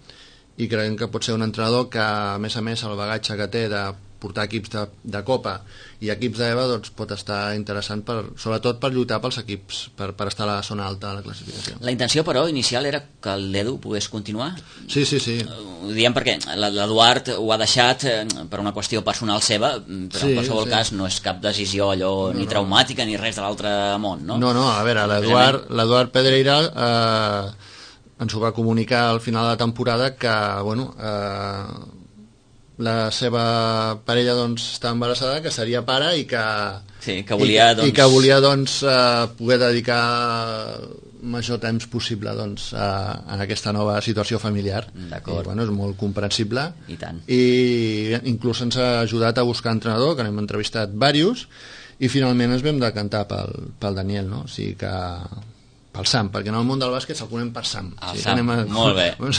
i creiem que pot ser un entrenador que, a més a més, el bagatge que té de portar equips de, de Copa i equips d'E V A doncs, pot estar interessant, per, sobretot per lluitar pels equips, per, per estar a la zona alta de la classificació. La intenció, però, inicial era que l'Edu pogués continuar? Sí, sí, sí. Ho diem perquè l'Eduard ho ha deixat per una qüestió personal seva, però sí, en qualsevol sí. cas no és cap decisió allò no, ni no. traumàtica ni res de l'altre món, no? No, no, a veure, l'Eduard l'Eduard Pedreira eh, ens ho va comunicar al final de la temporada que, bueno, eh, la seva parella doncs, està embarassada, que seria pare i que, sí, que volia, i, doncs... i que volia doncs, eh, poder dedicar major temps possible doncs, a, a aquesta nova situació familiar. D'acord. I, bueno, és molt comprensible. I tant. I inclús ens ha ajudat a buscar entrenador, que n'hem entrevistat diversos, i finalment ens vam decantar pel, pel Daniel, no? O sigui que... pel Sam, perquè en el món del bàsquet se'l coneixem per Sam. El sí, Sam, a... molt bé. Ens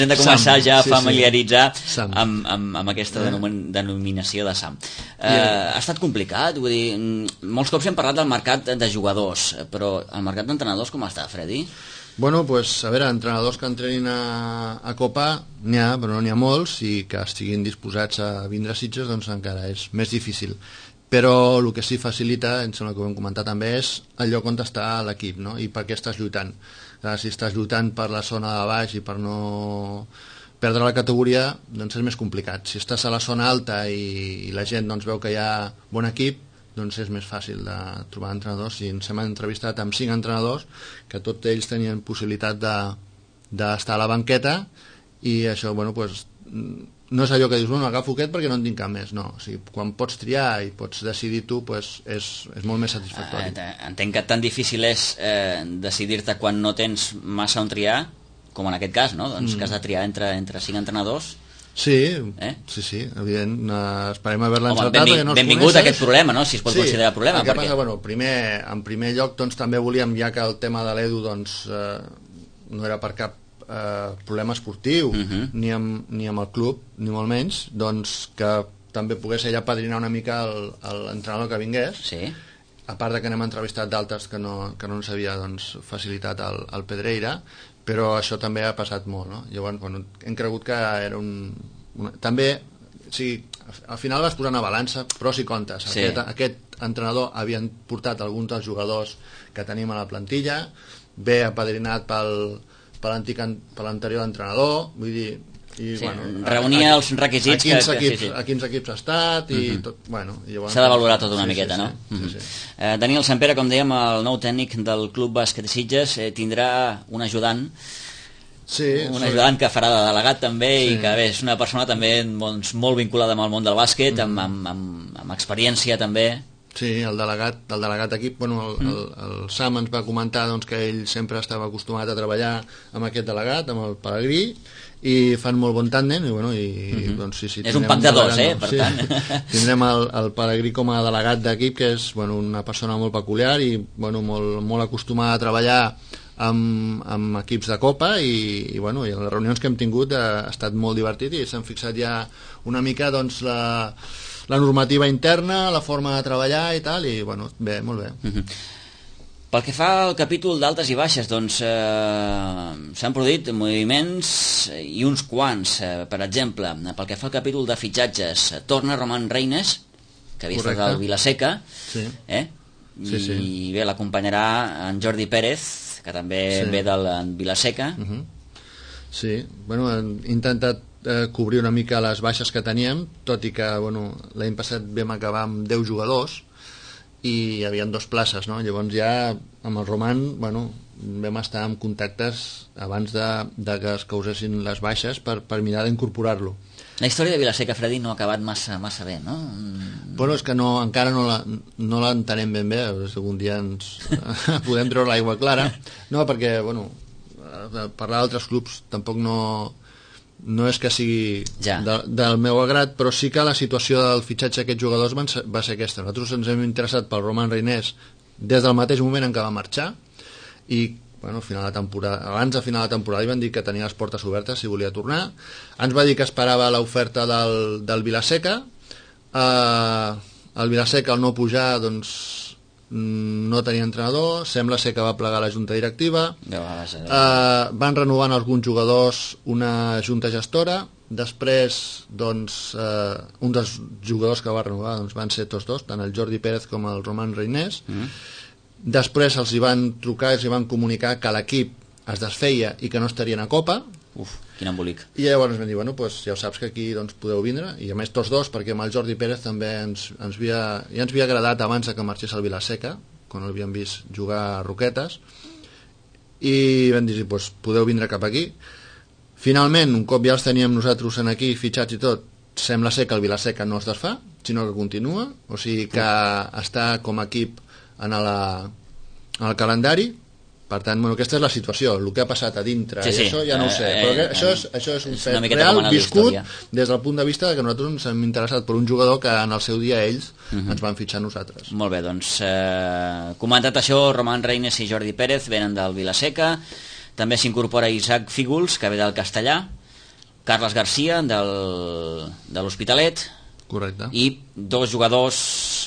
hem de començar Sam, ja a sí, familiaritzar sí. amb, amb, amb aquesta denominació de Sam. Eh, ha estat complicat, vull dir, molts cops hem parlat del mercat de jugadors, però el mercat d'entrenadors com està, Freddy? Bueno, pues, a veure, entrenadors que entrenin a, a Copa n'hi ha, però no n'hi ha molts, i que estiguin disposats a vindre a Sitges, doncs encara és més difícil. Però el que sí facilita, em sembla que ho hem comentat també, és el lloc on està l'equip, no? I per què estàs lluitant. Si estàs lluitant per la zona de baix i per no perdre la categoria, doncs és més complicat. Si estàs a la zona alta i, i la gent doncs, veu que hi ha bon equip, doncs és més fàcil de trobar entrenadors. I ens hem entrevistat amb cinc entrenadors que tots ells tenien possibilitat de, d'estar a la banqueta, i això, bueno, pues, no és allò que dius, bueno, agafo aquest perquè no en tinc cap més, no. O sigui, quan pots triar i pots decidir tu, pues, és, és molt més satisfactori. Eh, entenc que tan difícil és eh, decidir-te quan no tens massa on triar, com en aquest cas, no? Doncs mm. que has de triar entre, entre cinc entrenadors. Sí, eh? sí, sí, evident. Uh, esperem haver-la encertat benving, perquè no els benvingut coneixes. A aquest problema, no? Si es pot sí, considerar problema. El que perquè... passa, bueno, primer, en primer lloc, doncs, també volíem, ja que el tema de l'Edu doncs, eh, no era per cap eh, problema esportiu, uh -huh. ni, amb, ni amb el club, ni molt menys, doncs que també pogués ella padrinar una mica l'entrenador que vingués. Sí. A part de que n'hem entrevistat d'altres que no, que no ens havia doncs, facilitat el, el Pedreira, però això també ha passat molt, no? Llavors, bueno, hem cregut que era un... Una, també, o sigui, al final vas posar una balança, pros i contes. Sí. Aquest, aquest entrenador havien portat alguns dels jugadors que tenim a la plantilla, bé apadrinat pel, per l'antic, per l'anterior entrenador, vull dir... I, sí, bueno, reunia a, els requisits a quins, que, equips, que sí, sí. a quins equips ha estat i uh -huh. tot, bueno, s'ha de valorar tot una sí, miqueta, sí, no? Sí, uh -huh. sí, sí. Eh, Daniel Sampere, com dèiem, el nou tècnic del Club Bàsquet de Sitges, eh, tindrà un ajudant, sí, un sí. ajudant que farà de delegat també, sí. I que bé, és una persona també doncs, molt vinculada amb el món del bàsquet, uh -huh. amb, amb, amb, amb experiència també. Sí, el delegat, el delegat d'equip, bueno, el, el, el Sam ens va comentar doncs, que ell sempre estava acostumat a treballar amb aquest delegat, amb el Pelegrí, i fan molt bon tàndem, i bueno, i, uh-huh. doncs sí, sí, és un pack de dos, eh, per sí, tant. Tindrem el, el Pelegrí com a delegat d'equip, que és bueno, una persona molt peculiar i bueno, molt, molt acostumada a treballar amb, amb equips de Copa, i, i, bueno, i en les reunions que hem tingut ha estat molt divertit, i s'han fixat ja una mica doncs, la, la normativa interna, la forma de treballar i tal, i bueno, bé, molt bé. Uh-huh. Pel que fa al capítol d'altes i baixes, doncs eh, s'han produït moviments i uns quants. Eh, per exemple, pel que fa al capítol de fitxatges, torna Roman Reines, que havia estat al Vilaseca, sí. eh? Sí, sí. I bé, l'acompanyarà en Jordi Pérez, que també sí. ve del Vilaseca. Uh-huh. Sí, bueno, hem intentat eh, cobrir una mica les baixes que teníem, tot i que bueno, l'any passat vam acabar amb deu jugadors, i hi havia dues places, no? Llavors ja amb el Roman, bueno, vam estar en contactes abans de, de que es causessin les baixes per, per mirar d'incorporar-lo. La història de Vilaseca, Freddy, no ha acabat massa, massa bé, no? Bueno, és que no, encara no la, no l'entenem ben bé, si algun dia ens podem treure l'aigua clara. No, perquè, bueno, parlar d'altres clubs tampoc no, no és que sigui ja. de, del meu agrat, però sí que la situació del fitxatge d'aquests jugadors van ser, va ser aquesta. Nosaltres ens hem interessat pel Roman Reinés des del mateix moment en què va marxar, i bueno, final de temporada, abans de final de temporada li van dir que tenia les portes obertes si volia tornar. Ens va dir que esperava l'oferta del, del Vilaseca. eh, el Vilaseca al no pujar doncs no tenia entrenador, sembla ser que va plegar la junta directiva. eh, van renovant alguns jugadors una junta gestora, després doncs eh, un dels jugadors que va renovar doncs, van ser tots dos, tant el Jordi Pérez com el Roman Reinés. mm. Després els hi van trucar i els hi van comunicar que l'equip es desfeia i que no estarien a Copa. Uf, quin embolic. I llavors vam dir, bueno, pues ja ho saps que aquí doncs, podeu vindre, i a més tots dos, perquè amb el Jordi Pérez també ens, ens havia, ja ens havia agradat abans que marxés al Vilaseca, quan l'havíem vist jugar a Roquetes, i vam dir, pues, podeu vindre cap aquí. Finalment, un cop ja els teníem nosaltres en aquí fitxats i tot, sembla ser que el Vilaseca no es desfà, sinó que continua, o sigui que està com a equip en, la, en el calendari. Per tant, bueno, aquesta és la situació. El que ha passat a dintre, sí, sí. i això ja no ho sé, eh, però que, eh, això, és, això és un és fet real viscut història. Des del punt de vista que nosaltres ens hem interessat per un jugador que en el seu dia ells uh-huh. ens van fitxar nosaltres. Molt bé, doncs eh, comentat això, Roman Reinés i Jordi Pérez venen del Vilaseca. També s'incorpora Isaac Fígols, que ve del Castellà, Carles Garcia del, de l'Hospitalet. Correcte. I dos jugadors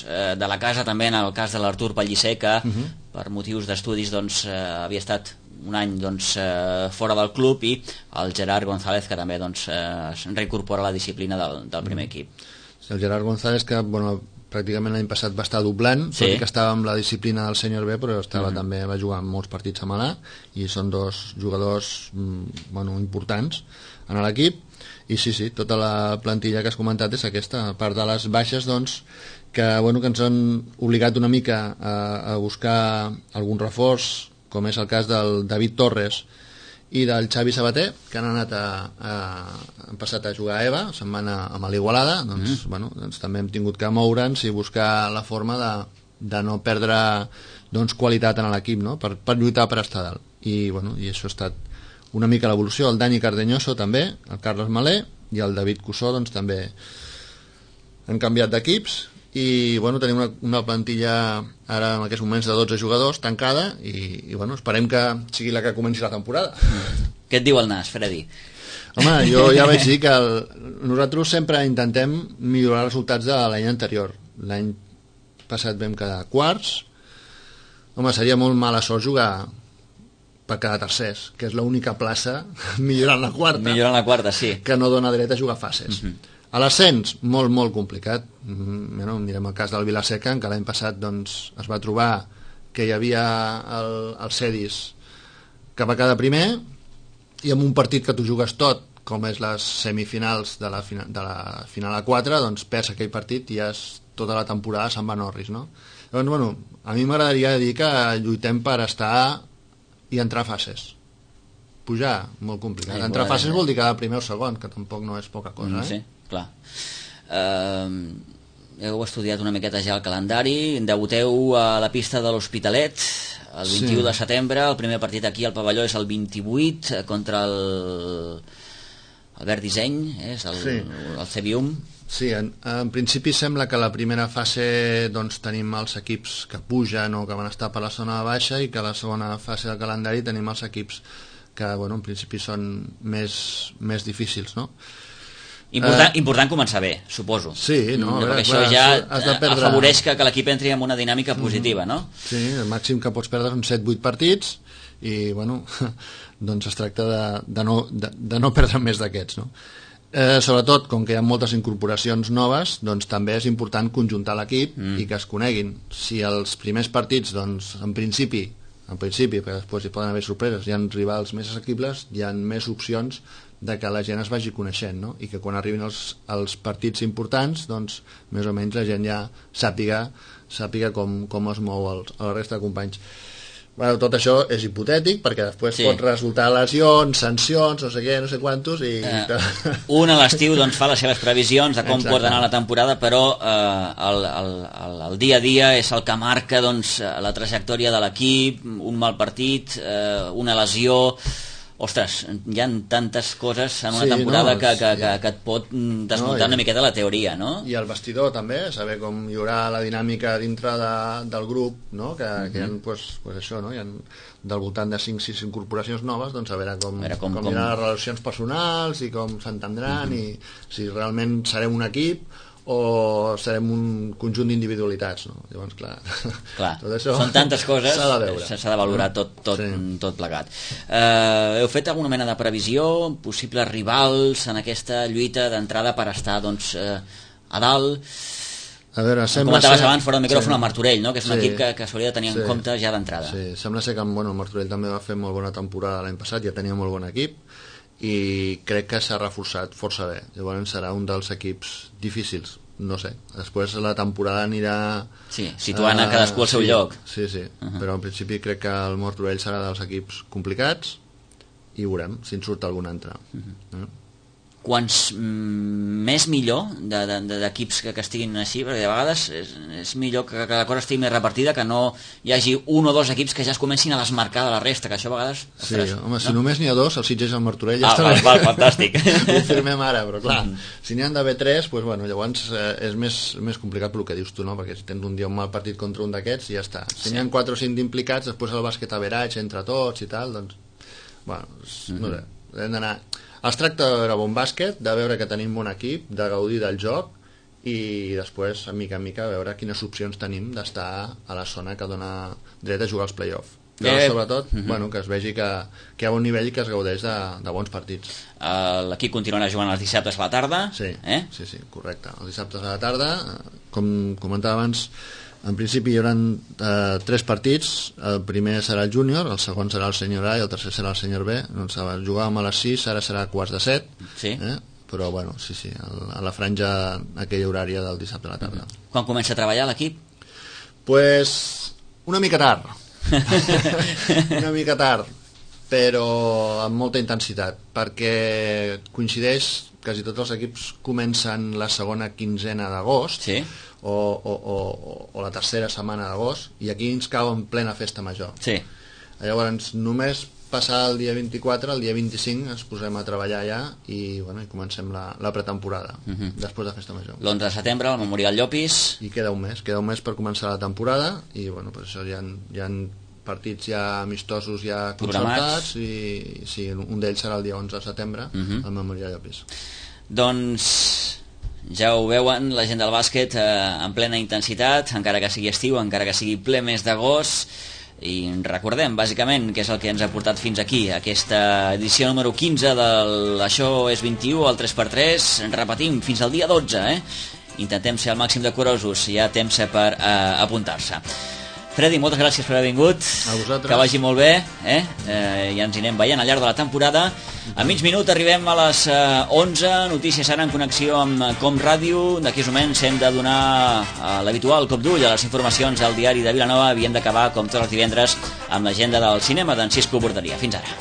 eh, de la casa també, en el cas de l'Artur Pellicer, que uh-huh. per motius d'estudis doncs, eh, havia estat un any doncs, eh, fora del club, i el Gerard González, que també doncs, eh, es reincorpora a la disciplina del, del primer uh-huh. equip. El Gerard González, que bueno, pràcticament l'any passat va estar doblant, sí. tot i que estava amb la disciplina del Sènior B, però estava uh-huh. també va jugar molts partits a Malà, i són dos jugadors bueno, importants en l'equip. I sí, sí, tota la plantilla que has comentat és aquesta, a part de les baixes doncs, que, bueno, que ens han obligat una mica a, a buscar algun reforç, com és el cas del David Torres i del Xavi Sabater, que han anat a, a, han passat a jugar a EVA, se'n van a, a l'Igualada, doncs, mm. bueno, doncs també hem tingut que moure'ns i buscar la forma de, de no perdre doncs, qualitat en l'equip, no? per, per lluitar per estar dalt. I, bueno, i això ha estat una mica l'evolució. El Dani Cardeñoso també, el Carles Malé i el David Cussó doncs també han canviat d'equips, i bueno, tenim una, una plantilla ara en aquests moments de dotze jugadors tancada, i, i bueno, esperem que sigui la que comenci la temporada. Què et diu el nas, Freddy? Home, jo ja vaig dir que el, nosaltres sempre intentem millorar els resultats de l'any anterior. L'any passat vam quedar quarts. Home, seria molt mala sort jugar per cada tercers, que és l'única plaça millorant la quarta, millorant la quarta, sí, que no dona dret a jugar fases. Uh-huh. A l'ascens, molt, molt complicat. Mm, bueno, mirem el cas del Vilaseca, en què l'any passat doncs, es va trobar que hi havia el, el Cedis que va quedar primer, i amb un partit que tu jugues tot, com és les semifinals de la, fina, de la final a quatre, doncs perds aquell partit i ja és, tota la temporada se'n va Norris, no? Llavors, bueno, a mi m'agradaria dir que lluitem per estar i entrar a fases. Pujar, molt complicat. Sí, entrar a fases vol dir quedar primer o segon, que tampoc no és poca cosa, eh? Sí, clar. Uh, heu estudiat una miqueta ja el calendari, debuteu a la pista de l'Hospitalet el vint-i-u sí. de setembre, el primer partit aquí al pavelló és el vint-i-vuit contra el Albert Disseny, és el, sí. el Cebium. Sí, en, en principi sembla que la primera fase doncs, tenim els equips que pugen o que van estar per la zona baixa, i que a la segona fase del calendari tenim els equips que bueno, en principi són més, més difícils, no? Important, uh, important començar bé, suposo. Sí, no? no veure, perquè clar, això ja has de perdre... afavoreix que, que l'equip entri en una dinàmica positiva, no? Sí, el màxim que pots perdre són set vuit partits, i bueno, doncs es tracta de, de, no, de, de no perdre més d'aquests, no? Eh, sobretot, com que hi ha moltes incorporacions noves, doncs també és important conjuntar l'equip mm. i que es coneguin. Si els primers partits, doncs, en principi, en principi, perquè després hi poden haver sorpreses, hi ha rivals més assequibles, hi ha més opcions de que la gent es vagi coneixent, no? I que quan arribin els, els partits importants, doncs més o menys la gent ja sàpiga, sàpiga com, com es mou el, la resta de companys. Bueno, tot això és hipotètic perquè després sí. pot resultar lesions, sancions, no sé què, no sé quantos i... Eh, un a l'estiu doncs, fa les seves previsions de com Exacte. pot anar la temporada, però eh, el, el, el, el dia a dia és el que marca doncs, la trajectòria de l'equip, un mal partit, eh, una lesió... Ostres, hi ha tantes coses en una sí, temporada no, que, que, que, que et pot desmuntar no, i, una miqueta la teoria, no? I el vestidor també, saber com hi haurà la dinàmica dintre de, del grup, no? Que, uh-huh. que hi ha, pues, pues això, no? Hi ha del voltant de cinc sis incorporacions noves, doncs a veure com, a veure com, com, com hi ha les relacions personals i com s'entendran uh-huh. i si realment serem un equip o serem un conjunt d'individualitats, no? Llavors, clar, clar tot això són tantes coses, s'ha de, s'ha de valorar tot, tot, sí. tot plegat. Eh, heu fet alguna mena de previsió, possibles rivals en aquesta lluita d'entrada per estar doncs, eh, a dalt? A veure, sembla comentaves ser... abans fora del micròfon sí. el Martorell, no? Que és un sí. equip que, que s'hauria de tenir sí. en compte ja d'entrada. Sí, sembla ser que bueno, el Martorell també va fer molt bona temporada l'any passat, ja tenia molt bon equip i crec que s'ha reforçat força bé. Llavors serà un dels equips difícils, no sé, després la temporada anirà sí, situant uh, a cadascú al seu sí, lloc sí, sí, uh-huh. però en principi crec que el Martorell serà dels equips complicats i veurem si en surt algun altre uh-huh. eh? Quants mm, més millor d'equips de, de, que, que estiguin així, perquè de vegades és, és millor que, que la cosa estigui més repartida, que no hi hagi un o dos equips que ja es comencin a desmarcar de la resta, que això a vegades... Sí, ostres, home, no? Si només n'hi ha dos, el Sitges i el Martorell ja ah, està val, val, fantàstic. Ho firmem ara, però clar, si n'hi han d'haver tres, doncs, bueno, llavors eh, és més, més complicat pel que dius tu, no? Perquè si tens un dia un mal partit contra un d'aquests, ja està. Si sí. n'hi ha quatre o cinc d'implicats, després el bàsquet average entre tots i tal, doncs... Bueno, mm-hmm. no sé, hem d'anar... Es tracta de veure bon bàsquet, de veure que tenim bon equip, de gaudir del joc i després, a mica en mica, veure quines opcions tenim d'estar a la zona que dona dret a jugar als play-off. Però eh, sobretot, uh-huh. bueno, que es vegi que, que hi ha bon nivell i que es gaudeix de, de bons partits. Uh, l'equip continuarà jugant els dissabtes a la tarda? Sí, eh? sí, sí, correcte. Els dissabtes a la tarda, com comentava abans, en principi hi haurà eh, tres partits. El primer serà el júnior, el segon serà el sènior A i el tercer serà el sènior B. Doncs jugàvem a les sis, ara serà a quarts de set, sí. eh? Però bueno, sí, sí, a la franja aquella horària del dissabte a la tarda. Mm-hmm. Quan comença a treballar l'equip? Pues una mica tard. Una mica tard, però amb molta intensitat, perquè coincideix, quasi tots els equips comencen la segona quinzena d'agost, sí. o, o, o, o la tercera setmana d'agost, i aquí ens cau en plena festa major. Sí. Llavors només passar el dia vint-i-quatre, el dia vint-i-cinc ens posem a treballar ja i, bueno, i comencem la, la pretemporada, uh-huh. després de festa major. L'onze de setembre, el Memorial Llopis. I queda un mes, queda un mes per començar la temporada i, bueno, pues això hi ha, hi ha partits ja amistosos ja concertats i sí, un d'ells serà el dia onze de setembre, uh-huh. al Memorial Llopis. Doncs ja ho veuen, la gent del bàsquet eh, en plena intensitat, encara que sigui estiu, encara que sigui ple mes d'agost. I recordem bàsicament que és el que ens ha portat fins aquí, aquesta edició número quinze del Això és vint-i-u, el tres per tres. Repetim, fins al dia dotze, eh? Intentem ser al màxim de curosos, hi ha temps per eh, apuntar-se. Freddy, moltes gràcies per haver vingut. A vosaltres. Que vagi molt bé, eh? eh ja ens hi anem veient al llarg de la temporada. A mig minut arribem a les eh, onze, notícies ara en connexió amb Com Ràdio. D'aquí uns moments hem de donar eh, l'habitual cop d'ull a les informacions del diari de Vilanova. Havíem d'acabar, com tots els divendres, amb l'agenda del cinema d'en Cisco Borderia. Fins ara.